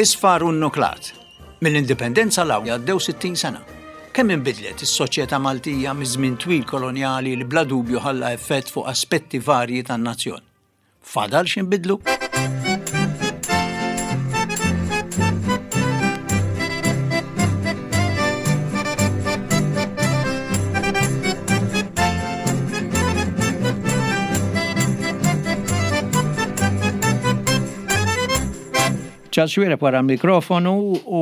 Isfar u nnuklat. Mill-Indipendenza 'l hawn għaddew 60 sena. Kemm inbidlet is-soċjetà Maltija miż-żmien twil kolonjali li bla dubju ħalla effett fuq aspetti varji tan-nazzjon? Fadal x'inbidlu? Charles Xuereb wara l-mikrofonu u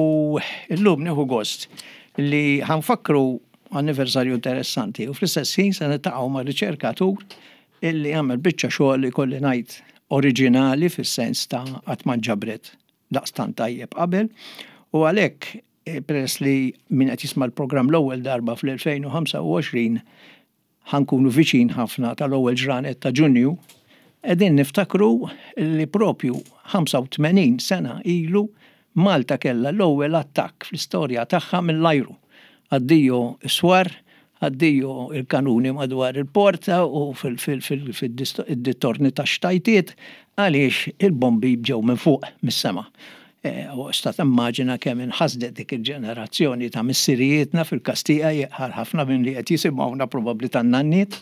llum nieħu gost li ħa nfakkru anniversarju interessanti u fl-istess ħin se niltaqgħu ma' riċerkatur illi għamel biċċa xogħol li kolli ngħid oriġinali fis-sens ta' qatt ma nġabret daqstant tajjeb qabel u għalhekk eh, peress li min qed jisma' l-programm l-ewwel darba fl-2025 ħa nkunu viċin ħafna tal-ewwel ġranet ta' Ġunju, qegħdin niftakru li propju 85 sena ilu Malta kellha l-ewwel attakk fl-istorja tagħha mill-ajru. Addio s-swar, addio il-kanuni madwar il-porta u fid-dintorni tax-xtajtiet għaliex il-bombi ġew minn fuq, mis-sema. U sta timmaġina kemm inħasdet dik il-ġenerazzjoni ta' missirijietna fil-każ tiegħi għal ħafna minn li qed jisimgħuna probabbli tan-nanniet.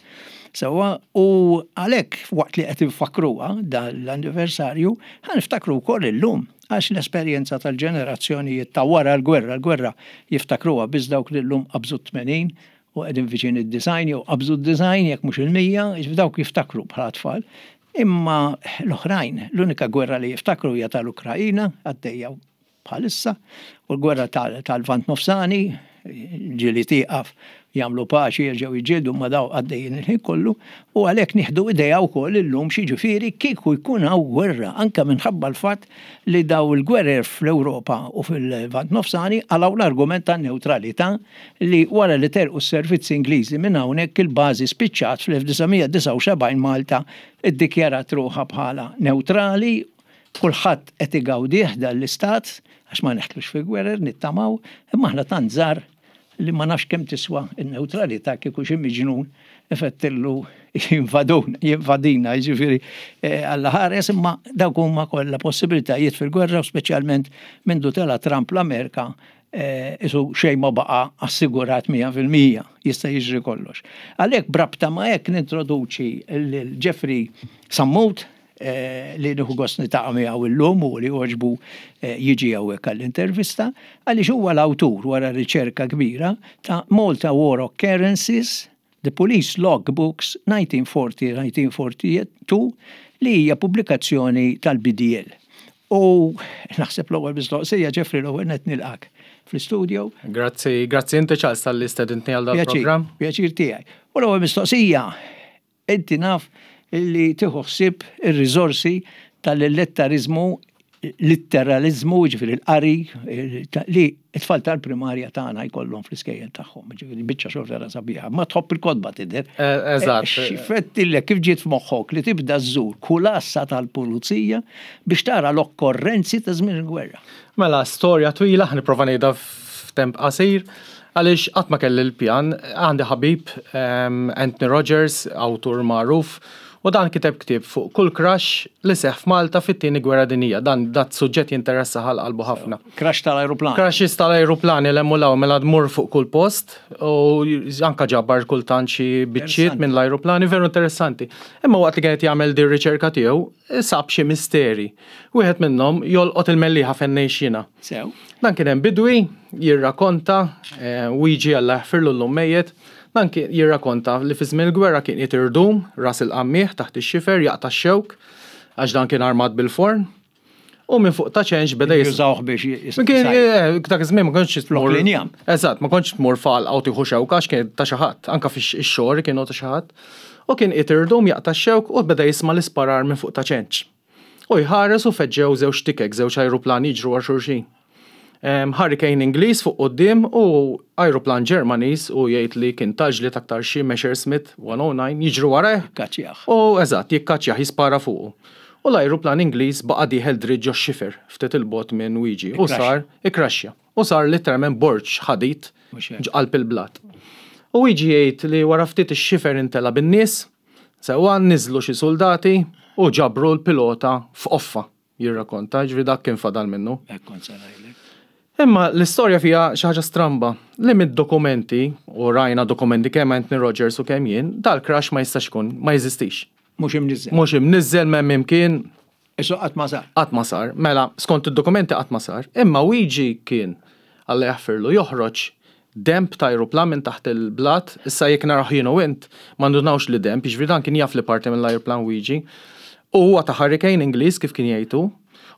Sewwa, u għalhekk waqt li qed infakkruha dan l-anniversarju, ħa niftakru wkoll illum għax l-esperjenza tal-ġenerazzjonijiet ta' wara l-gwerra, l-gwerra jiftakruha biss dawk li llum qabżu t-80 u qegħdin viċin id-90 jew qabżu d-90 jekk mhux il-100, jiġifieri dawk jiftakru bħala tfal. Imma l-oħrajn, l-unika gwerra li jiftakru hija tal-Ukraina, għaddejja bħalissa, u l-gwerra tal-Lvant Nofsani, ġieli tieqaf, jagħmlu paċi, jerġgħu jiġġieldu ma daw għaddejjin il-ħin kollu, u għalhekk nieħdu idea wkoll illum x'jiġifieri kieku jkun hawn gwerra, anke minħabba l-fatt li daw il-gwerer fl-Ewropa u fil-Lvant Nofsani qalgħu l-argument tan-newtralità li wara li telqu s-servizzi Ingliżi minn hawnhekk il-bażi spiċċat fl-1979 Malta ddikjarat ruħha bħala newtrali, kulħadd qed igawdih dan l-istat għax ma neħtlux fi gwerer nittamaw, imma aħna tant żgħar li ma nafx kemm tiswa n-newtralità kieku xi miġnun ifettillu jinvaduna, jinvadina, jiġifieri eh, Alla ħares imma dawk huma kollha possibilitajiet fil-gwerra u speċjalment mindu tela' Trump l-Amerika Isu xejn ma baqa' assigurat 100%, jista' jiġri kollox. Għalhekk b'rabta ma' hekk nintroduċi lil Jeffrey Sammut li nieħu gost niltaqa' miegħu illum u li għoġbu jiġi hawnhekk għall-intervista, għaliex huwa l-awtur wara riċerka kbira ta' Malta War Occurrences, The Police Log Books 1940-1942 li hija pubblikazzjoni tal-BDL. U naħseb l-ewwel mistoqsija, Jeffrey, l-ewwel nett nilqak fl-istudio. Grazzi, grazzi inti Charles talli stedintni għal dal-programm. Pjaċir tiegħi. U l-ewwel mistoqsija, inti naf li tieħu ħsieb ir-riżorsi tal-illetteriżmu litteraliżmu, jiġifieri l-qari li t-tfal tal-primarja tagħna jkollhom fl-iskejjel tagħhom, jiġifieri biċċa xogħol vera sabiħa. Ma tħobb il-kotba tidher. Eh, eżatt. X'fettillek kif ġiet f'moħħok li tibda żżur kull għassa tal-pulizija biex tara l-okkorrenzi ta' żmien il-gwerra. Mela, storja twila, nipprova ngħidha f'temp qasir, għaliex qatt ma kelli l-pjan, għandi ħabib ehm, Anthony Rogers, awtur magħruf, U dan kiteb ktieb fuq kull crash li seħħ f'Malta fit-Tieni Gwerra Dinjija. Dan dat suġġett jinteressah għal qalbu ħafna. Crash tal-ajruplan. Crashes tal-ajruplani 'l hemm u 'l hawn mela tmur fuq kull post u anka ġabar kultant xi biċċiet minn l-ajruplani veru interessanti. Imma waqt li kien qed jagħmel din riċerka tiegħu sab xi misteri. Wieħed minnhom jolqot il-Mellieħa fejn ngħix jiena. Sew. Dan kien hemm bidwi jirrakonta, Wiġi Alla jaħfirlu llum mejjet, Dan kien jirrakonta li fi żmien il-gwerra kien qiegħed irdum ras il-qammieħ taħt ix-xifer jaqta' x-xewk għax dan kien armat bil-forn u minn fuq ta' ċenx beda jis. Jużawh biex Kien eh, dak iż-żmien ma kontx tmur. L-injam. Eżatt, ma kontx tmur f'għalqa u tieħu xewka għax kien ta' xi ħadd, anke fix-xogħol kienu ta' xi ħadd. U kien qiegħed irdum jaqta' x-xewk u beda jisma' l-isparar minn fuq ta' ċenx. U jħares u feġġew żewġ tikek, żewġ ajruplani jiġru wara xulxin. Hurricane Ingliż fuq quddiem u ajruplan Ġermaniż u jgħid li kien ta' ġlied aktar xi Messerschmitt 109 jiġru warajh. Jikkaċċjah. U eżatt, jikkaċċjah, jispara fuqu. U l-ajruplan Ingliż baqa' dieħel dritt ġox-xifer, ftit 'il bogħod minn Wiġi u sar ikkraxxja. U sar litteralment borġ ħadid ġ'qalb il-blat. U Wiġi jgħid li wara ftit ix-xifer imtela bin-nies, Sewwa niżlu xi suldati u ġabru l-pilota f'qoffa. jirrakonta, ġifieri dak kien fadal minnu. Hekk kont se ngħidlek. Imma l-istorja fiha xi ħaġa stramba li mid-dokumenti, u rajna dokumenti kemm Anthony Rogers u kemm jien, dal-crash ma jistax ikun, ma jeżistix. Mhux imniżżel. Mhux imniżżel m'hemm imkien. Isu qatt ma sar. Qatt ma sar. Mela, skont id-dokumenti qatt ma sar. Imma Luigi kien, Alla jaħfirlu, joħroġ denb ta' ajruplan minn taħt il-blat, issa jekk narawh jien u int, ma ndunawx li denb, jiġifieri dan kien jaf li parti mill-ajruplan Luigi. U huwa ta' Hurricane Ingliż kif kien jgħid hu.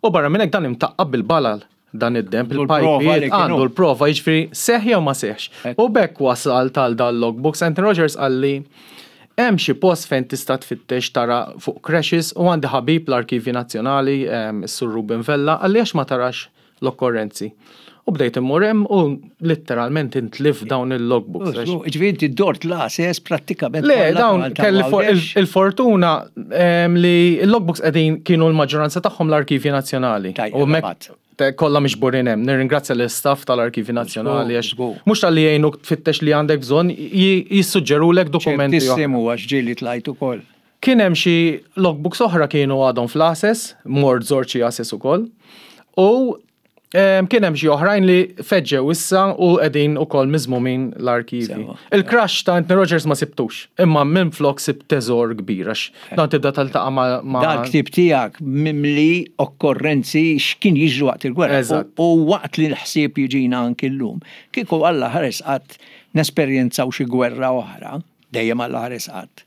U barra minn hekk dan imtaqqab bil-balal. Dan id-demb, il-pajpijiet, għandu l-prova, jiġifieri seħħ jew ma seħħx. U b'hekk wasalt għal dal-logbooks. Anthony Rogers qalli hemm xi post fejn tista' tfittex tara fuq crashes u għandi ħabib l-Arkivji Nazzjonali, is-Sur Ruben Vella, qalli għax ma tarax l-okkorrenzi. U bdejt immur hemm u letteralment intlif dawn il-logbooks. Ġifieri inti dort l-għases prattikament. Le, dawn kelli il-fortuna li l-logbooks qegħdin kienu l-maġġoranza tagħhom l-Arkivji Nazzjonali. U kollha miġburin hemm. Nirringrazzja l-istaff tal-Arkivji Nazzjonali għax mhux talli jgħinuk tfittex li għandek bżonn, jissuġġerulek dokumenti. Ċertissimu għax ġieli tlajt ukoll. Kien hemm xi logbooks oħra kienu għadhom fl-għases, mort żort xi għases ukoll. U kien hemm xi oħrajn li feġġew issa u qegħdin ukoll miżmumin l-arkivi. Il-crash ta' Anthony Rogers ma sibtux, imma minflok sibt teżor kbir għax dan tibda taltaqa' ma' Dal-ktieb tiegħek mimli okkorrenzi x'kien jiġri waqt il-gwerra. U waqt li l-ħsieb jiġina anki llum, kieku Alla ħares qatt nesperjenzaw xi gwerra oħra, dejjem Alla ħares qatt.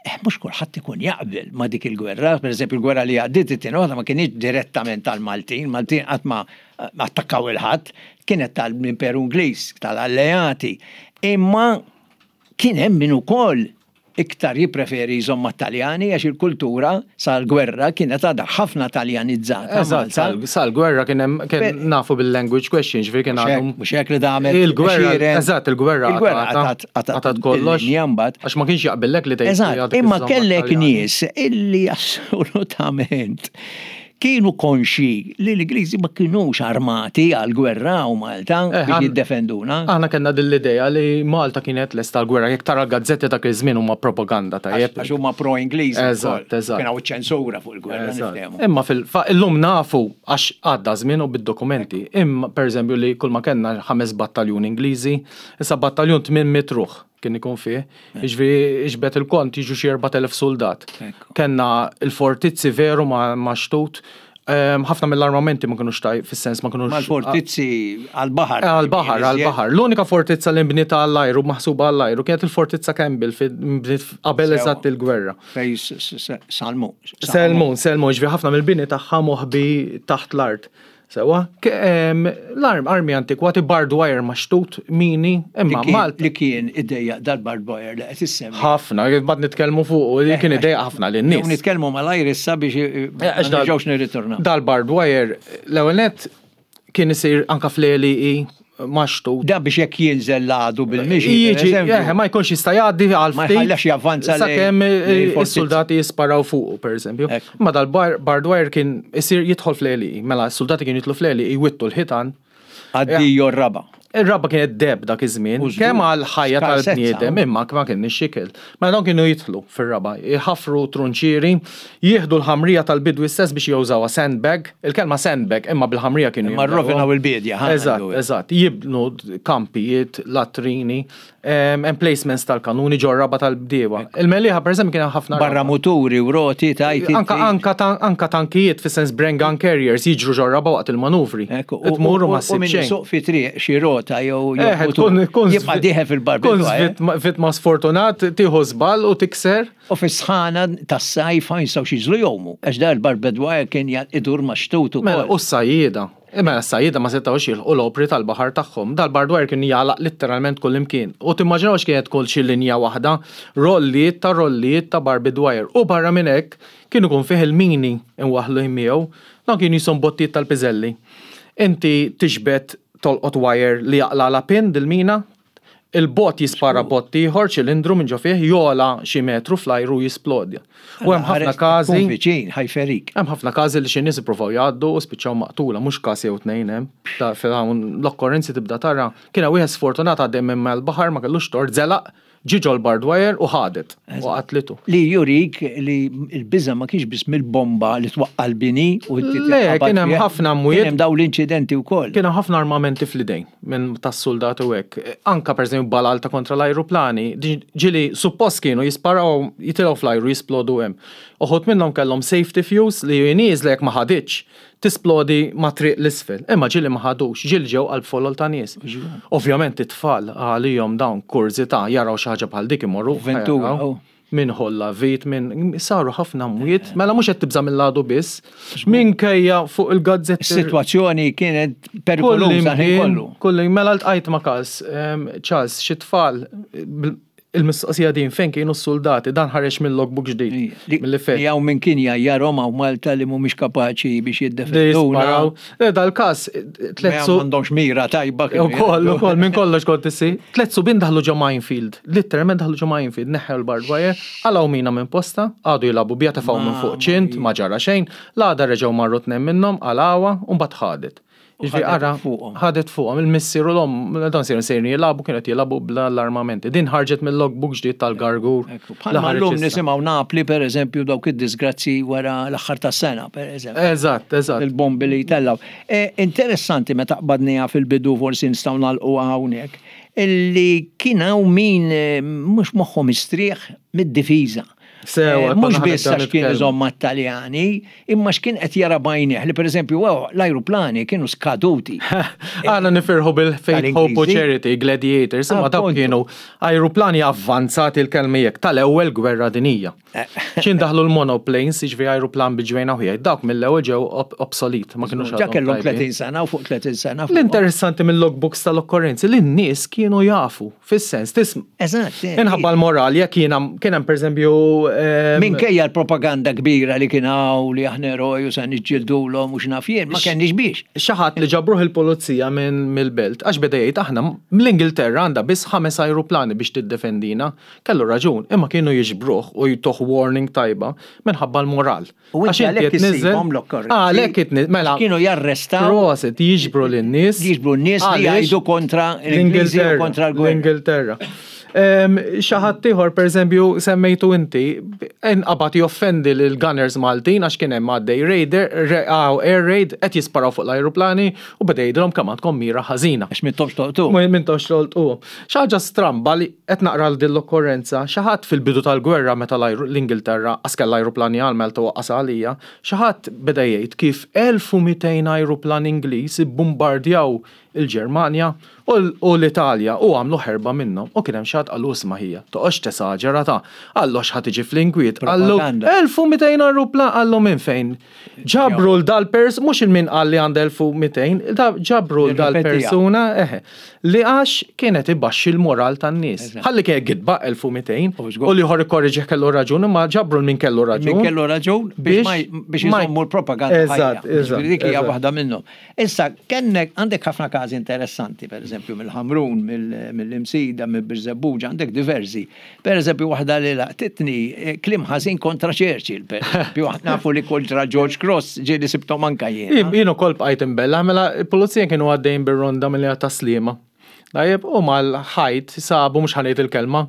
Mhux kulħadd ikun jaqbel ma' dik il-gwerra, pereżempju il-gwerra li għaddiet it-tieni waħda ma kinitx direttament tal-Maltin, Maltin qatt ma attakkaw il-ħadd, kienet tal-Imperu Ingliż, tal-Alleati. Imma kien hemm min ukoll iktar jippreferi jżomm mat-Taljani għax il-kultura sal-gwerra kienet għadha ħafna Taljanizzata. Eżatt, sal-gwerra kien hemm kien nafu bil-language question, ġifieri kien għadhom. Mhux hekk li damet. Il-gwerra, eżatt, il-gwerra qatgħet kollox. Għax ma kienx jaqbillek li tgħid. Eżatt, imma kellek nies illi assolutament kienu konxi li l-Ingliżi ma kinux armati għal gwerra u Malta eh, biex jiddefenduna. Aħna kellna din l-idea li Malta kienet lesta għal gwerra, jekk tara l-gazzetti dak iż-żmien huma propaganda tajjeb. Għax huma pro-Ingliżi. Eżatt, eżatt. Kien hawn ċensura fuq il-gwerra niftehmu. Imma fil-illum nafu għax għadda żmien u bid-dokumenti. Imma pereżempju li kull ma kellna ħames battaljun Ingliżi, issa battaljun 800 ruħ kien ikun fih. Jiġifieri iġbed il-kont jiġu xi 4000 suldat. Kellna il-fortizzi veru ma' xtut. Ehm, ħafna mill-armamenti ma kinux taj, fis-sens ma kinux. Mal-fortizzi għal-baħar. Eh, għal-baħar, għal-baħar. L-unika fortizza li nbniet għall-ajru, maħsuba għall-ajru, kienet il-fortizza Campbell nbniet qabel eżatt il-gwerra. Fej Salmu. Selmun, Selmun, ġvi ħafna mill-bini tagħha moħbi taħt l-art. Sewwa, l-arm, armi antikwati, barbed wire maxtut, mini, imma Malta. Li kien idejjaq dal-barbed wire li qed issemmi. Ħafna, bad nitkellmu fuq, li kien idejjaq ħafna lin-nies. Nitkellmu malajr issa biex eh, ma nerġgħux nirritornaw. Dal-barbed wire, l-ewwel nett kien isir anka fl-għelieqi maxtut. Da biex jekk jinżel l-għadu bil-mixi. Jiġi, eh, ma jkunx jista' jgħaddi għal Ma jħallax javvanza sakemm is-soldati jisparaw fuqu, pereżempju. Ma dal-barbed wire kien isir jidħol fl-għelieqi. Mela s-soldati kienu jidħlu fl-għelieqi jwittu l-ħitan. Addio r-raba'. Ir-raba' kienet deheb dak iż-żmien, kemm għall-ħajja tal-bniedem, imma ma kienx ikel. Mela dawn kienu jidħlu fir-raba', jħaffru trunċieri, jieħdu l-ħamrija tal-bidwi stess biex jużawha sandbag, il-kelma sandbag imma bil-ħamrija kienu Imma rrovinaw il-biedja, ħa Eżatt, eżatt. Jibnu kampijiet, latrini, emplacements tal-kanuni ġor-raba' tal-bdiewa. Il-Mellieħa pereżempju kien hemm ħafna raba'. Barra muturi u roti tgħid inti. Anka anka anka tankijiet fis-sens Bren gun carriers jiġru ġor-raba' waqt il-manuvri. Tmur u ma ssib xejn. U min isuq fi triq xi rota jew mutur jibqa' dieħel fil-barbed wire. Tkun vittma sfortunat, tieħu żball u tikser. U fis-sħana tas-sajf ma jistgħux jiżlu jgħumu għax dan il-barbed wire kien idur max-xtut ukoll. Mela u s-sajjieda. Mela s-sajjieda ma setgħux jilħqu l-opri tal-baħar tagħhom. Dal-barbed wire kien jagħlaq litteralment kullimkien. U timmaġinawx kienet tkun xi linja waħda, rollijiet ta' rollijiet ta' barbed wire. U barra minn hekk, kien ikun fih il-mini imwaħħlin miegħu. Dawn kienu qishom bottijiet tal-piżelli. Inti tiġbed tolqot wire li jaqlagħlha pin dil-mina, Il-bott jispara bott ieħor, ċilindru minn ġo fih, jogħla xi metru fl-ajru u jisplodja. U hemm ħafna każi. Tkun viċin, ħa jferik. Hemm ħafna każi li xi nies ippruvaw jgħaddu u spiċċaw maqtula, mhux każ jew tnejn hemm. Hawn l-okkorrenzi tibda tara. Kien hemm wieħed sfortunat għaddej minn mal-baħar ma kellux tort, żelaq. Ġie ġol-barbed wire u ħadet u qatlitu. Li jurik li l-biża' ma kienx biss mill-bomba li twaqqa' l-bini u inti Le, kien hemm ħafna mwiet. Kien hemm dawn l-inċidenti wkoll. Kien hemm ħafna armamenti fl-idejn minn tas-suldati u hekk. Anke pereżempju balal ta' kontra l-ajruplani, ġieli suppost kienu jisparaw, jitilgħu fl-ajru jisplodu hemm. Uħud minnhom kellhom safety fuse li hi nieżla jekk ma ħaditx, tisplodi ma' triq 'l isfel. Imma ġieli ma ħadux, ġieli ġew qalb folol ta' nies. Ovvjament it-tfal għalihom dawn kurżità jaraw xi ħaġa bħal dik imorru Avventura, jaraw. Min ħolla vit, min saru ħafna mwiet, mela mhux qed tibża' mill-għadu biss, minkejja fuq il-gazzetti. Is-sitwazzjoni kienet perikoluża l-ħin kollu. Kulli, mela ltqajt ma' każ, Charles, xi tfal Il-mistoqsija din fejn kienu s-suldati, dan ħareġ minn logbook ġdid. Milli fejn. Li hawn min kien jgħajjarhom hawn Malta li mhumiex kapaċi biex jiddefenduna. Le dal-każ tliet su. M'għandhomx mira tajba. Ukoll, ukoll minn kollox kont issir. Tliet subien daħlu ġo minefield, litteralment daħlu ġo minefield, neħħew il-barbed wire, qalgħu mina minn postha, qagħdu jilagħbu biha tefgħu minn fuq ċint, ma ġara xejn, l-għada reġgħu marru tnejn minnhom, qalgħuha u mbagħad ħadet. Jiġifieri ara, ħadet fuqhom il-missier u l-omm, dawn sejrin sejrin jilagħbu kienu qed jilagħbu bl-armamenti. Din ħarġet mill-logbook ġdid tal-Gargur. Bħalma llum nisimgħu Napli pereżempju dawk id-disgrazzi wara l-aħħar tas-sena pereżempju. Eżatt, eżatt. Il-bombi li jtellgħu. E, interessanti meta qbadniha fil-bidu forsi nistgħu nagħlquha hawnhekk, illi kien hawn min eh, mhux moħħu mistrieħ mid-difiża. Sewa, eh, mhux biss għax kien iżomm mat-Taljani, imma x'kien qed jara b'għajnejh li pereżempju l-ajruplani kienu skaduti. Aħna nifirħu bil-Faith Hope u Charity, Gladiators, imma dawk kienu ajruplani avvanzati l-kelma jekk tal-ewwel gwerra dinija. Eh. X'in daħlu l-monoplanes, jiġifieri ajruplan bi ġwejna wieħed, dawk mill-ewwel ġew obsolete, ma kinux Ġa kellhom 30 sena u fuq 30 sena. L-interessanti mill-logbooks tal-okkorrenzi li n-nies kienu jafu. Fis-sens, tism. Eżatt. Eh, Inħabba l-moral, jekk jiena kien hemm pereżempju. Ehm, Minkejja l-propaganda kbira li kien hawn li aħna eroj u se niġġildulhom u x'naf jien, ma kenniex biex. Xi ħadd li ġabruh il-pulizija minn mill-belt għax beda jgħid aħna l-Ingilterra għandha biss ħames ajruplani biex tiddefendina. Kellu raġun, imma kienu jiġbruh u jtuh warning tajba minħabba l-moral. U inti għalhekk issibhom l-okkorrenzi. Għalhekk itni, mela. Kienu jarrestaw. Proset, jiġbru lin-nies. Jiġbru n-nies li jgħidu kontra l-Ingliżi u kontra l-gwerra. L-Ingilterra. Xi ħadd ieħor pereżempju semmejtu inti, inqabad joffendi lil gunners Maltin għax kien hemm għaddej raider, air raid qed jisparaw fuq l-ajruplani u beda jgħidilhom kemm għandkom mira ħażina. Għax m'intomx tolqtu. M'intomx tolqtu. Xi ħaġa stramba li qed naqra din l-okkorrenza, xi ħadd fil-bidu tal-gwerra meta l-Ingilterra qas kellha ajruplani għal Malta u waqqasha għalija, xi ħadd beda jgħid kif 1,200 ajruplan Ingliż ibbumbardjaw il-Ġermanja u l-Italja u għamlu ħerba minnhom. U kien hemm xi ħadd qallu isma' ħija, toqgħodx tesaġera ta', qallu għax ħa tiġi fl-inkwiet, qallu 1,200 ajruplan, qallu minn fejn? Ġabru l dal-pers, mhux il-min qal li għandha 1200, da ġabru l dal-persuna, eħe, li għax kienet ibaxxi l-moral tan-nies. Ħalli kien gidba 1200, u l-ieħor ikkorreġih kellu raġun, imma ġabru l min kellu raġun. Min kellu raġun biex iżommu l-propaganda. Eżatt, eżatt. Dik hija waħda minnhom. Issa, kennek għandek ħafna każi interessanti, pereżempju mill-Ħamrun, mill-Imsida, mill-Birżebbuġa, għandek diversi. Per eżempju, waħda li laqtitni, eh, kliem ħażin kontra Churchill, per eżempju, nafu li kontra George Cross ġieli sibtom anka jien. Jien ukoll bqajt imbella, mela il-pulizija kienu għaddejn bir-ronda mill ta' Sliema. Tajjeb, u mal-ħajt sabu mhux ħanejt il-kelma,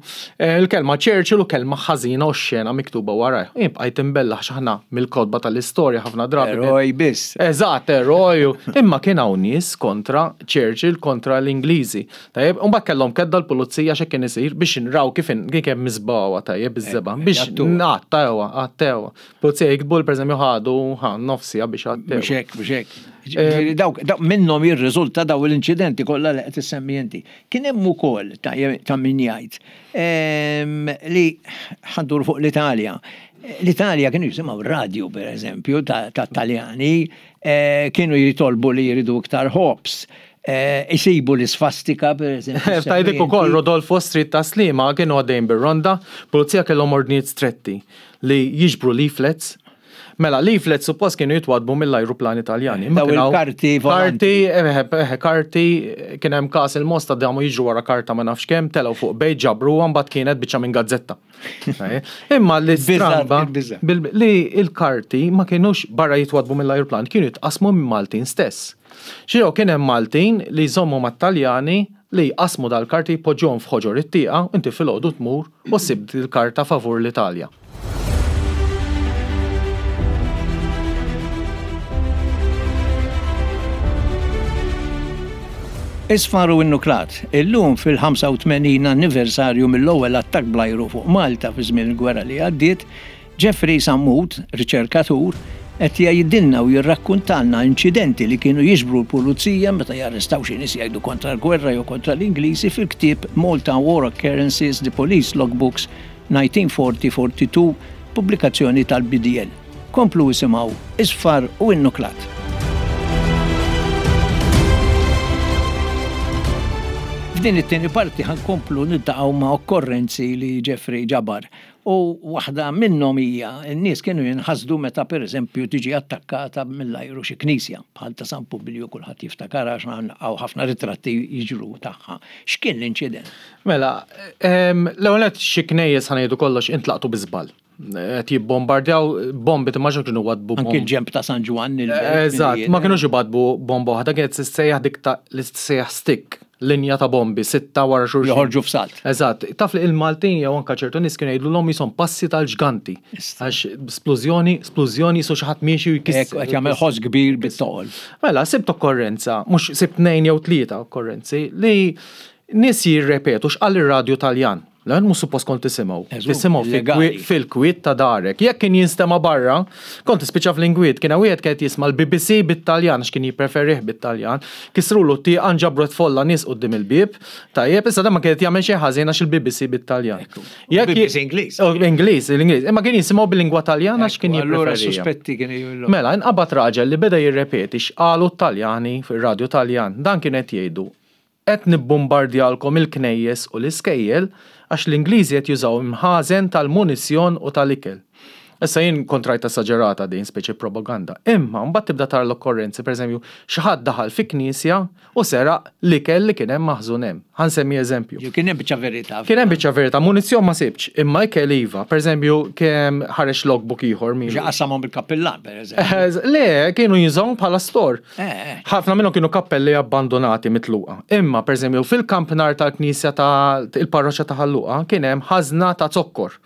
eh, il-kelma Churchill u kelma ħażina u xena miktuba warajh. Jien bqajt imbella x'aħna mill-kotba tal-istorja ħafna drabi. Eroj biss. Eżatt, eroj. Imma kien hawn nies kontra Churchill, kontra l-Ingliżi. Tajjeb, u mbagħad kellhom kedda l-pulizija x'hekk kien isir biex nraw kif kien kemm miżbgħuha tajjeb iż-żebgħa biex ngħattewha, għattewha. Pulizija jiktbu li pereżempju ħadu ħa nofs siegħa biex għattew. Mhux hekk, mhux hekk. Ġifieri dawk minnhom jirriżulta daw l-inċidenti kollha li qed issemmi inti. Kien hemm ukoll ta' min jgħid ehm, li ħandur fuq l-Italja. L-Italja kienu jisimgħu radio pereżempju ta' Taljani eh, kienu jitolbu li jridu iktar ħobs. Eh, isibu l-isfastika, per eżempju. Tajdik ukoll Rodolfo Street ta' Slima kienu għaddejn bir-ronda, pulizija kellhom ordnijiet stretti li jiġbru leaflets. Mela, leaflets suppost kienu jitwadbu mill-ajruplani Taljani. Daw il-karti Karti, eh, eh, karti, kien hemm każ il-mosta damu jiġru wara karta ma nafx kemm, telgħu fuq bejt ġabruha mbagħad kienet biċċa minn gazzetta. Imma li stramba li il-karti ma kienux barra jitwadbu mill-ajruplan, kienu jitqasmu minn Maltin stess. Xi kien hemm Maltin li jżommu mat-Taljani. li jqassmu dal-karti jpoġġuhom f'ħoġor it-tieqa u inti filgħodu tmur u ssib dil-karta favur l-Italja. Isfar u Innuklat, Illum fil-85 anniversarju mill-ewwel attakk bl-ajru fuq Malta fi żmien il-gwerra li għaddiet, Jeffrey Sammut, riċerkatur, qed jgħidilna u jirrakkuntalna inċidenti li kienu jiġbru l-pulizija meta jarrestaw xi nies jgħidu kontra l-gwerra jew kontra l-Ingliżi fil-ktieb Malta War Occurrences, The Police Logbooks, 1940-42, pubblikazzjoni tal-BDL. Komplu isimgħu Isfar u Innuklat. F'din it-tieni parti ħa nkomplu niltaqgħu ma' okkorrenzi li Jeffrey ġabar U waħda minnhom hija, n-nies kienu jinħasdu meta pereżempju tiġi attakkata mill-ajru xi knisja, bħal ta' San Publiju kulħadd jiftakarha għax hawn ħafna ritratti jiġru tagħha. X'kien l-inċident? Mela, l-ewwel nett xi knejjes ħa ngħidu kollox intlaqtu bi żball. Qed jibbombardjaw bombi timmaġina kienu waddbu bomba. Anki l-ġenb ta' San Ġwann. Eżatt, ma kinux ibaddbu bomba waħda, kienet tissejjaħ dik ta' li tissejjaħ stick. Linja ta' bombi, sitta wara xulxin. Joħorġu f'salt. Eżatt. Taf li il-Maltin jew anke ċertu nies kienu jgħidulhom qishom passi tal-ġganti. Għax splużjoni, splużjoni qisu xi ħadd miexi u jkisser. Hekk qed jagħmel ħoss kbir bit-toqol. Mela, sibt okkorrenza, mhux sibt tnejn jew tlieta okkorrenzi li nies jirrepetu x'qal ir-radju Taljan. Le, mhux suppost kont tisimgħu. Tisimgħu fil-kwiet ta' darek. Jekk kien jinstema' barra, kont tispiċċa fl-inkwiet. Kien hawn wieħed kien qed jisma' l-BBC bit-Taljan għax kien jippreferih bit-Taljan. Kissrulu t-tieqa nġabret folla nies quddiem il-bieb. Tajjeb, issa dan ma kien qed jagħmel xejn ħażin għax il-BBC bit-Taljan. BBC Ingliż. Ingliż, l-Ingliż. Imma kien jisimgħu bil-lingwa Taljana għax kien jippreferih. Allura s-suspetti kienu. Mela, inqabad raġel li beda jirrepeti x'qalu t-Taljani fir-radju Taljan. Dan kienu qed jgħidu, Qed nibbumbardjalkom il-knejjes u l-iskejjel għax l-Ingliżi qed jużaw imħażen tal-munizzjon u tal-ikel. Issa jien kont rajtha esaġerata din, speċi propaganda. Imma mbagħad tibda tara l-okkorrenzi, pereżempju, xi ħadd daħal fi knisja u seraq l-ikel li kien hemm maħżun hemm. Ħa nsemmi eżempju. Kien hemm biċċa verità. Kien hemm biċċa verità, munizzjon ma sibtx, imma ikel iva. Pereżempju, kien ħareġ logbook ieħor min. Xi qasamhom il-kappillan, pereżempju. Le, kienu jużawhom bħala store. Ħafna minnhom kienu kappelli abbandunati mitluqa. Imma, pereżempju, fil-kampnar tal-knisja ta' il-parroċċa ta' Ħal Luqa kien hemm ħażna ta' zokkor.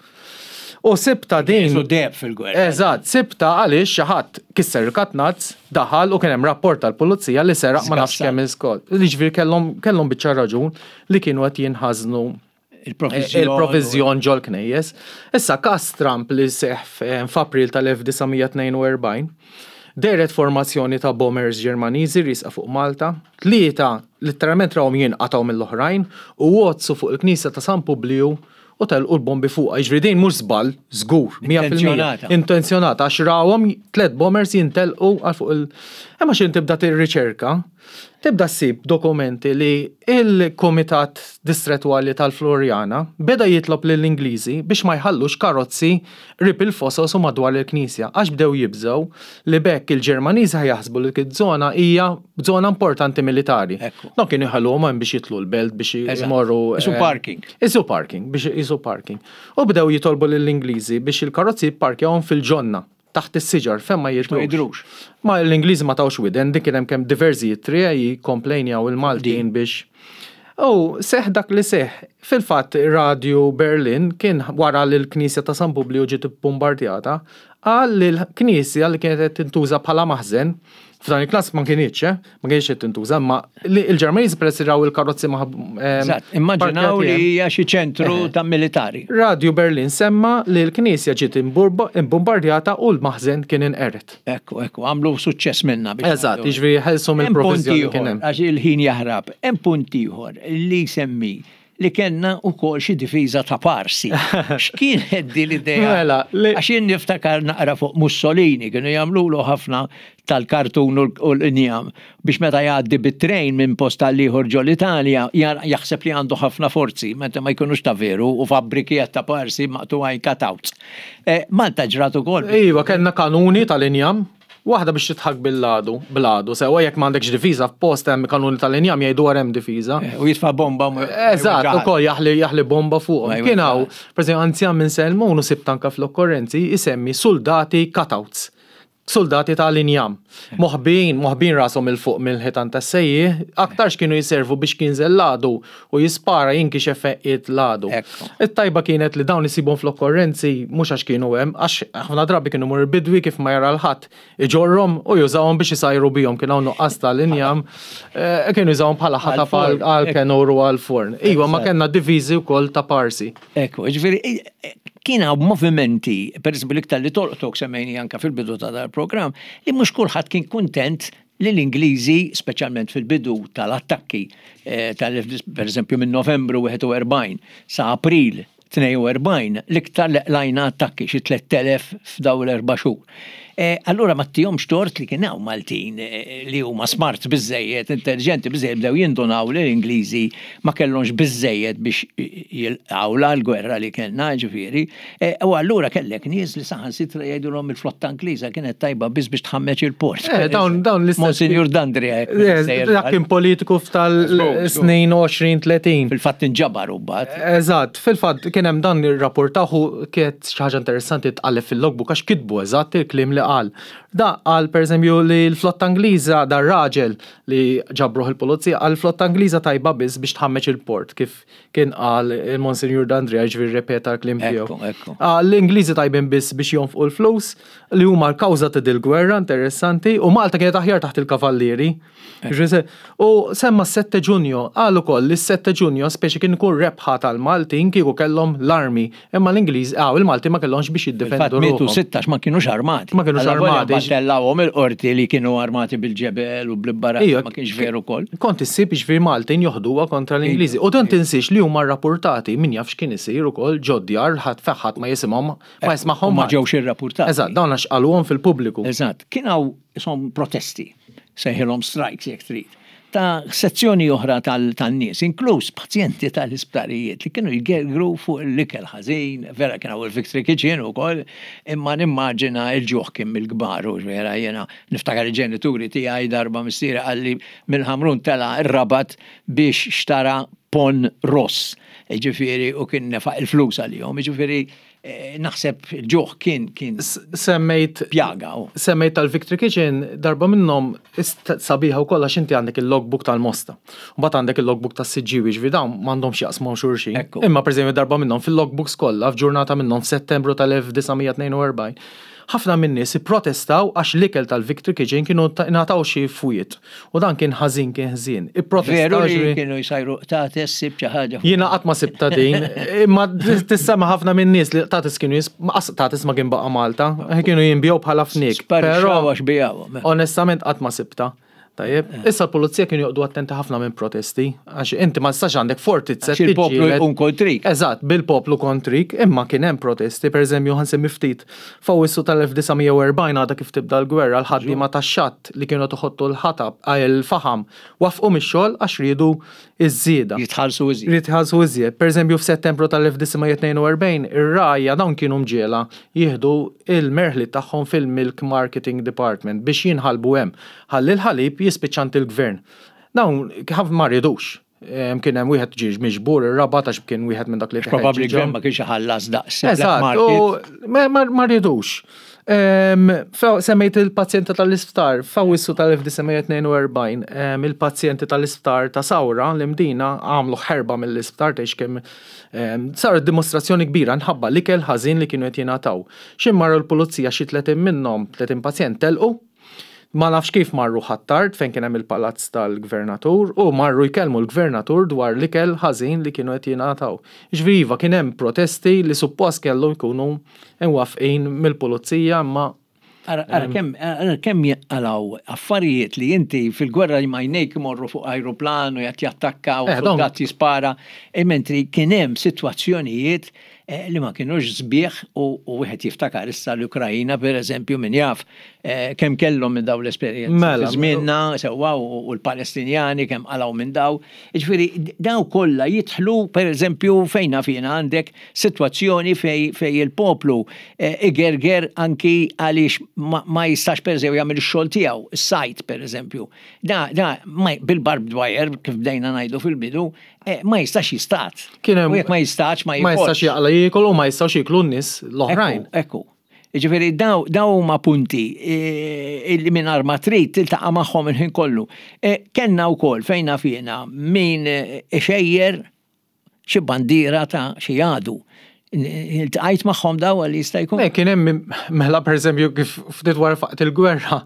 U sibtha din. Qisu deheb fil-gwerra. Eżatt, sibtha għaliex xi ħadd kisser il-katnazz, daħal u kien hemm rapport tal-pulizija li seraq ma nafx kemm il-skol. Jiġifieri kellhom kellhom biċċa raġun li kienu qed jinħażnu il-proviżjon ġol-knejjes. Issa każ Trump li seħħ f'April tal-1942, dehret formazzjoni ta' bombers Ġermaniżi riesqa fuq Malta. Tlieta litteralment rawhom jinqatgħu mill-oħrajn u għoddsu fuq il-knisja ta' San Publiju u telqu l-bombi fuqha. Jiġifieri din mhux żball, żgur, 100%. Intenzjonata għax rawhom tliet bombers jintelqu għal fuq il- Imma x'int tibda tirriċerka, Tibda ssib dokumenti li l-Kumitat Distrettwali tal-Floriana beda jitlob lill-Ingliżi biex ma jħallux karozzi qrib il-fosos u madwar il-knisja għax bdew jibżgħu li b'hekk il-Ġermaniżi ħa jaħsbu li dik iż-żona hija żona importanti militari. Dawn kienu jħalluhom hemm biex jidħlu l-belt biex imorru. Isu parking. Isu parking, biex isu parking. U bdew jitolbu lill-Ingliżi biex il-karozzi jipparkjawhom fil-ġonna. Taħt is-siġar, fejn ma jidhrux. Ma jidhrux. Ma l-Ingliżi ma tawx widen, din kien hemm kemm diversi ittri jikkomplejnjaw il-Maltin biex. U seħħ dak li seħħ. Fil-fatt Radju Berlin kien wara li l-knisja ta' San Publiju ġiet ibbumbardjata, qal li l-knisja li kienet qed tintuża bħala maħżen, f'dan il-każ ma kinitx, eh, ma kienx qed tintuża, imma li l-Ġermaniżi peress li raw il-karozzi ma' Eżatt, immaġinaw li hija xi ċentru ta' militari. Radju Berlin semma li l-knisja ġiet imbumbardjata u l-maħżen kien inqered. Ekku, ekku, għamlu suċċess minnha biex. Eżatt, jiġifieri ħelsu mill-proviżjoni li kien hemm. Għax il-ħin jaħrab, hemm punt ieħor li jsemmi li kellna wkoll xi difiża ta' parsi. X'kienet din l-idea? Mela, li. Għax jien niftakar naqra fuq Mussolini, kienu jagħmlulu ħafna tal-kartun u l-injam biex meta jgħaddi bit-trejn minn post għal ieħor ġol-Italja jaħseb li għandu ħafna forzi, meta ma jkunux ta' veru u fabbriki ta' parsi maqtugħin cutouts. Malta ġrat ukoll. Iva, kellna kanuni tal-injam. Waħda biex tidħak bil-għadu, bl-għadu, sewwa jekk m'għandekx difiża f'post hemm kanuni tal-injam jgħidu wara hemm difiża. Eh, u jitfa' bomba. Eżatt, ukoll jaħli jaħli bomba fuqhom. Kien hawn, pereżempju anzjan minn Selmun u sibt anke fl-okkorrenzi jsemmi soldati cutouts. Suldati ta' l-injam. Moħbijin, moħbijin rashom 'il fuq mill-ħitan tas-sejjieħ, aktarx kienu jservu biex jinżel l-għadu u jispara jinkixef fejn qiegħed l-għadu. It-tajba kienet li dawn isibhom fl-okkorrenzi mhux għax kienu hemm, għax ħafna drabi kienu jmur il-bidwi kif ma jara 'l ħadd iġorrhom u jużahom biex isajru bihom, kien hawn nuqqas ta' l-injam, kienu jużahom bħala ħatab għall-kenur u għall-forn. Iva, ma kellna diviżi wkoll ta' parsi. Ekku, ġifieri kien hawn movimenti, per eżempju l-iktar li tolqtok semmejni anka fil-bidu ta' dal-programm, li mhux kulħadd kien kuntent li l-Ingliżi, speċjalment fil-bidu tal-attakki, eh, tal per eżempju minn Novembru 41 sa April 42, l-iktar li qlajna attakki xi 3000 f'daw l-erba' xhur. Eh, allura ma tihomx tort li kien hawn Maltin eh, li huma smart biżejjed, intelligenti biżejjed bdew jindunaw li l-Ingliżi ma kellhomx biżejjed biex jilqgħu l-gwerra li kellna, ġifieri. Eh, u allura kellek nies li saħansitra jgħidulhom il-flotta Ingliża kienet tajba biss biex tħammeġ il-port. Dawn dawn l-istess. Monsignor Dandria. Dak kien politiku f'tal-snin 20-30. Fil-fatt inġabar u mbagħad. Eżatt, fil-fatt kien hemm dan irrapportahu kienet xi ħaġa interessanti tqalleb fil-logbook għax kitbu eżatt il-kliem li qal. Da qal pereżempju li l-flotta Ingliża dar-raġel li ġabruh il-pulizija qal il-flotta Ingliża tajba biss biex tħammeġ il-port kif kien qal il-Monsinjur D'Andrea jiġifieri rrepeta l-kliem tiegħu. Qal l-Ingliżi tajbin biss biex jonfqu l-flus li huma l-kawża ta' dil-gwerra interessanti u Malta kienet aħjar taħt il-Kavallieri. U semma s-Sette Ġunju, qal ukoll li s-Sette Ġunju speċi kien ikun rebħa tal-Maltin kieku kellhom l-armi, imma l-Ingliż, ah, il-Maltin ma kellhomx biex jiddefendu ruħhom. Mietu 16 ma kinux armati. Ma kinux armati. Tellawhom il-qorti li kienu armati bil-ġebel u bl-ibbara, ma kienx veru wkoll. Kont issib jiġifieri Maltin joħduha kontra l-Ingliżi. U dan tinsiex li huma rrappurtati, min jaf x'kien isir ukoll ġod-djar, ħadd ħadd ma jisimhom, ma jismagħhom. Ma ġewx irrappurtati. Eżatt, dawn għax qaluhom fil-pubbliku. Eżatt, kien hawn isom protesti. sejħilhom strikes jekk trid, ta' sezzjoni oħra tan-nies, inkluż pazjenti tal-isptarijiet li kienu jgergru fuq l-ikel ħażin, vera kien hawn il-Victory Kitchen ukoll, imma nimmaġina l-ġuħ kien mill-kbar u vera jiena niftakar il-ġenituri tiegħi darba missieri qalli mill-Ħamrun tela' r-Rabat biex xtara ponn ross, jiġifieri u kien nefaq il-flus għalihom, jiġifieri Eh, naħseb il-ġuħ kien kien semmejt pjaga. Semmejt tal-Victory Kitchen darba minnhom sabiħa wkoll għax inti għandek il-logbook tal-Mosta. Mbagħad għandek il-logbook tas-Siġġiewi ġifieri dawn m'għandhomx jaqsmu xulxin. Imma pereżempju darba minnhom fil-logbooks kollha f'ġurnata minnhom f'Settembru tal-1942 ħafna min-nies ipprotestaw għax l-ikel tal-Victory Kitchen kienu ngħataw xi fwiet u dan kien ħażin kien ħżien. Ipprotestaw. Veru li kienu jsajru qtates sibt xi ħaġa. Jiena qatt ma sibtha din, imma tissema' ħafna min-nies li qtates kienu jis, qtates ma kien baqa' Malta, kienu jinbiegħu bħala fniek. Però għax bijgħuhom. Onestament qatt ma sibtha. Tajjeb, eh. issa l-pulizija kienu joqdu attenti ħafna minn protesti, għax inti ma tistax għandek fortizza. Il-poplu jkun kontrik. Eżatt, bil-poplu kontrik, imma kien hemm protesti, per eżempju, ħansemmi ftit. F'Awwissu tal-1940 għadha kif tibda l-gwerra, l-ħaddiema tax-xatt li kienu qed iħottu l-ħatab, il-faħam, waffqu mix-xogħol għax riedu ż-żieda. Jitħallsu iżjed. Jitħallsu iżjed. Per eżempju, f'Settembru tal-1942, ir-rgħajja dawn kienu mġiegħla jieħdu l-merħliet tagħhom fil-Milk Marketing Department biex jinħalbu hemm, ħalli l-ħalib jispiċċa għand il-gvern. Dawn ma riedux. Kien hemm wieħed ġie miġbur ir-Rabat għax kien wieħed minn dak li Probabbli gvern ma kienx iħallas daqs. Eżatt, ma rridux. Semmejt il-pazjenti tal-isptar, f'Awwissu tal-1942, il-pazjenti tal-isptar ta' Sawra, l-Imdina, għamlu ħerba mill-isptar tgħix kemm saret dimostrazzjoni kbira nħabba l-ikel ħażin li kienu qed jingħataw. Xi marru l-pulizija xi 30 minnhom, 30 pazjent telqu. Ma nafx kif marru Ħ'Attard fejn kien hemm il-palazz tal-gvernatur u marru jkellmu l-gvernatur dwar l-ikel ħażin li kienu qed jingħataw. Jiġifieri iva kien hemm protesti li suppost kellu jkunu mwaffqin mill-pulizija imma Ara kemm ara kemm jinqalgħu affarijiet li inti fil-gwerra li m'għajnejk imorru fuq ajruplan u qed jattakka u suldat jispara, mentri kien hemm sitwazzjonijiet li ma kinux sbieħ u wieħed jiftakar issa l-Ukrajina pereżempju min jaf kemm kellhom minn dawn l-esperjenzi. Mela. Żmienna sewwa u l-Palestinjani kemm qalgħu minn daw. Jiġifieri daw kollha jidħlu pereżempju fejn naf jiena għandek sitwazzjoni fej il-poplu igerger anki għaliex ma jistax pereżempju jagħmel ix-xogħol tiegħu, is-sajd pereżempju. Da, da bil-barbed wire kif bdejna ngħidu fil-bidu, Eh, ma jistax jistat. Kien hemm. U jekk ma jistax ma Ma jistax jaqla jiekol u ma jistax jieklu n-nies l-oħrajn. Ekku. Jiġifieri daw huma punti illi mingħajr ma trid tiltaqa' magħhom il-ħin kollu. Kellna wkoll fejn naf jiena min ixejjer xi bandiera ta' xi għadu. Iltqajt magħhom daw għal jista' jkun? Le, kien hemm mela pereżempju kif ftit wara faqt il-gwerra,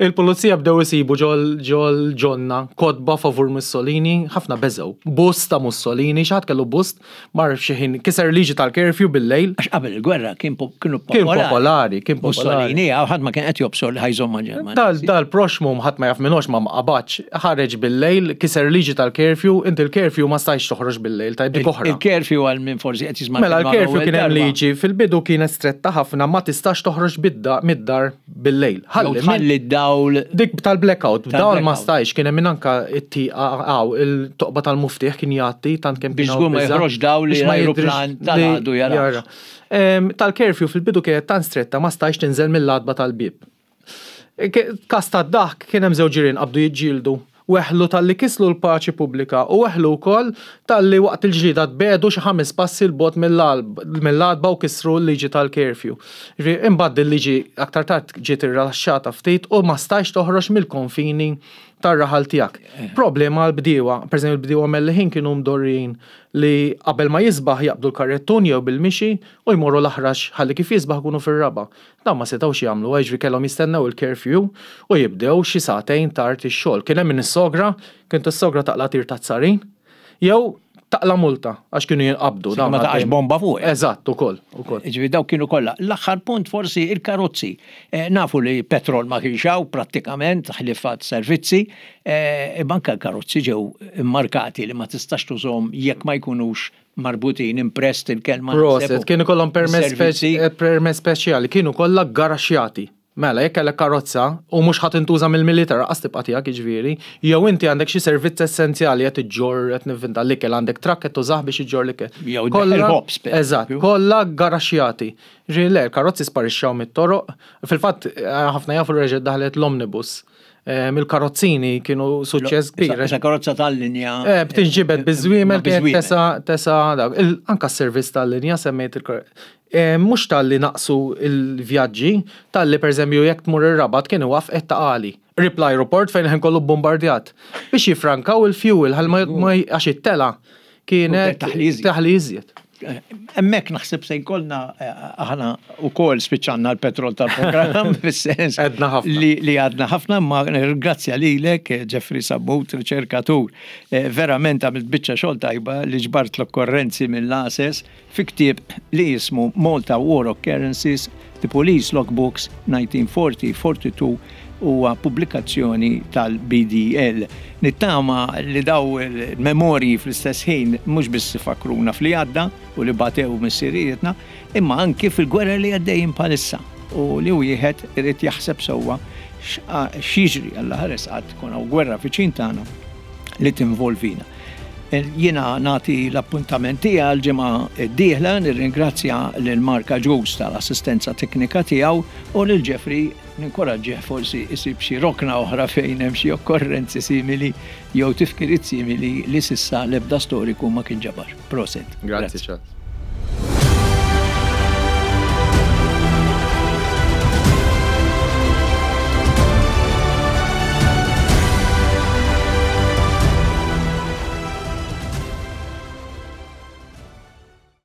il-pulizija bdew isibu ġol ġonna kotba favur Mussolini, ħafna beżgħu. Bust ta' Mussolini, xi ħadd kellu bust Mar f'xi ħin kiser liġi tal-curfew bil-lejl. Għax qabel il-gwerra kien kienu popolari. Kien popolari, kien popolari. Mussolini, ħadd ma kien qed jobsor li ħajżomm ma' Ġermanja. Dal dal-proxmu ħadd ma jaf minux ma mqabadx, ħareġ bil-lejl, kiser liġi tal-curfew, inti l-curfew ma stajtx toħroġ bil-lejl, tajb dik oħra. Il-curfew għal min forsi qed jisma' Mela l-curfew kien hemm liġi fil-bidu kienet stretta ħafna ma tistax toħroġ mid-dar bil-lejl. Ħalli ħalli d-dawl. Dik tal-blackout, dawl ma stajx, kien hemm anka it-tieqa għaw il-toqba tal-muftieħ kien jgħatti tant kemm biex żgur ma joħroġ dawl li l-ajruplan tal-għadu jara. Tal-curfew fil-bidu kienet tant stretta ma stajx tinżel mill-għatba tal-bieb. Każ tad-daħk kien hemm żewġ ġirien qabdu jiġġieldu. Weħlu talli kislu l-paċi pubblika u weħlu wkoll talli waqt il-ġlieda tbiegħdu xi ħames passi 'l bogħod mill-għatba u kisru l-liġi tal-curfew. Jiġifieri imbagħad dil-liġi aktar tard ġiet irrilaxxata ftit u ma stajtx toħroġ mill-konfini tar-raħal tiegħek. Problema għall-bdiewa, pereżempju l-bdiewa Melliħin kienu mdorrijin li qabel ma jisbaħ jaqbdu l-karrettun jew bil-mixi u jmorru l-aħrax ħalli kif jisbaħ ikunu fir-raba'. Dawn ma setgħux jagħmluha, jiġifieri kellhom jistennew il-curfew u jibdew xi sagħtejn tard ix-xogħol. Kien hemm min issogra, kien tissogra taqla' tir taż-żarin, jew taqla' multa għax kienu jinqabdu. Sakemm ma taqax bomba fuqek. Eżatt, ukoll, ukoll. Jiġifieri dawk kienu kollha. L-aħħar punt forsi il-karozzi. Nafu li petrol ma kienx hawn prattikament ħlief għas-servizzi, imma anke l-karozzi ġew immarkati li ma tistax tużhom jekk ma jkunux marbutin impressed il-kelma. Proset, kien ikollhom permess permess speċjali, kienu kollha ggaraxxjati. Mela, jekk kellek karozza u mhux ħa tintuża mill-militar lanqas tibqa' tiegħek jiġifieri, jew inti għandek xi servizz essenzjali qed iġġorr qed nivvinta l-ikel għandek trakk qed tużah biex iġġorr l-ikel. Jew il-ħobż. Eżatt, kollha ggaraxxjati. Ġifieri le, l-karozzi sparixxew mit-toroq. Fil-fatt ħafna jafu li reġgħet daħlet l-omnibus. Il-karozzini kienu suċċess kbir. Issa karozza tal-linja. Eh, b'tinġibed biż-żwiemel kienet tesa tesa dak. Anka s-servizz tal-linja semmejt il Mhux talli naqsu l-vjaġġi, talli pereżempju jekk tmur ir-Rabat kien iwaffqek ta' Qali. Qrib l-ajruport fejn il-ħin kollu bbombardjat. Biex jiffrankaw il-fuel ħalli ma għax it-telgħa kienet taħli iżjed. Hemmhekk naħseb se jkollna eh, aħna wkoll spiċċanna l-petrol tal-programm fis-sens Għedna ħafna. li għadna ħafna ma nirringrazzja lilek eh, Jeffrey Sammut, riċerkatur. Eh, verament għamilt biċċa xogħol tajba li ġbart l-okkorrenzi mill-ASES fi ktieb li jismu Malta War Occurrences, The Police Logbooks 1940-42 huwa pubblikazzjoni tal-BDL. Nittama li daw il-memorji fl-istess ħin mhux biss ifakkruna f'li għadda u li batew missirijietna, imma anki fil-gwerra li għaddejjin bħalissa u li wieħed irid jaħseb sewwa x'jiġri Alla ħares qatt tkun hawn gwerra viċin tagħna li tinvolvina. Jiena nagħti l-appuntament tiegħi għall-ġimgħa d-dieħla, nirringrazzja lil Mark Agius tal-assistenza teknika tiegħu u lil Jeffrey Ninkoraġġih forsi jsib xi rokna oħra fejn hemm xi okkorrenzi simili jew tifkiriet simili li s'issa l-ebda storiku ma kien ġabar. Proset. Grazzi Charles.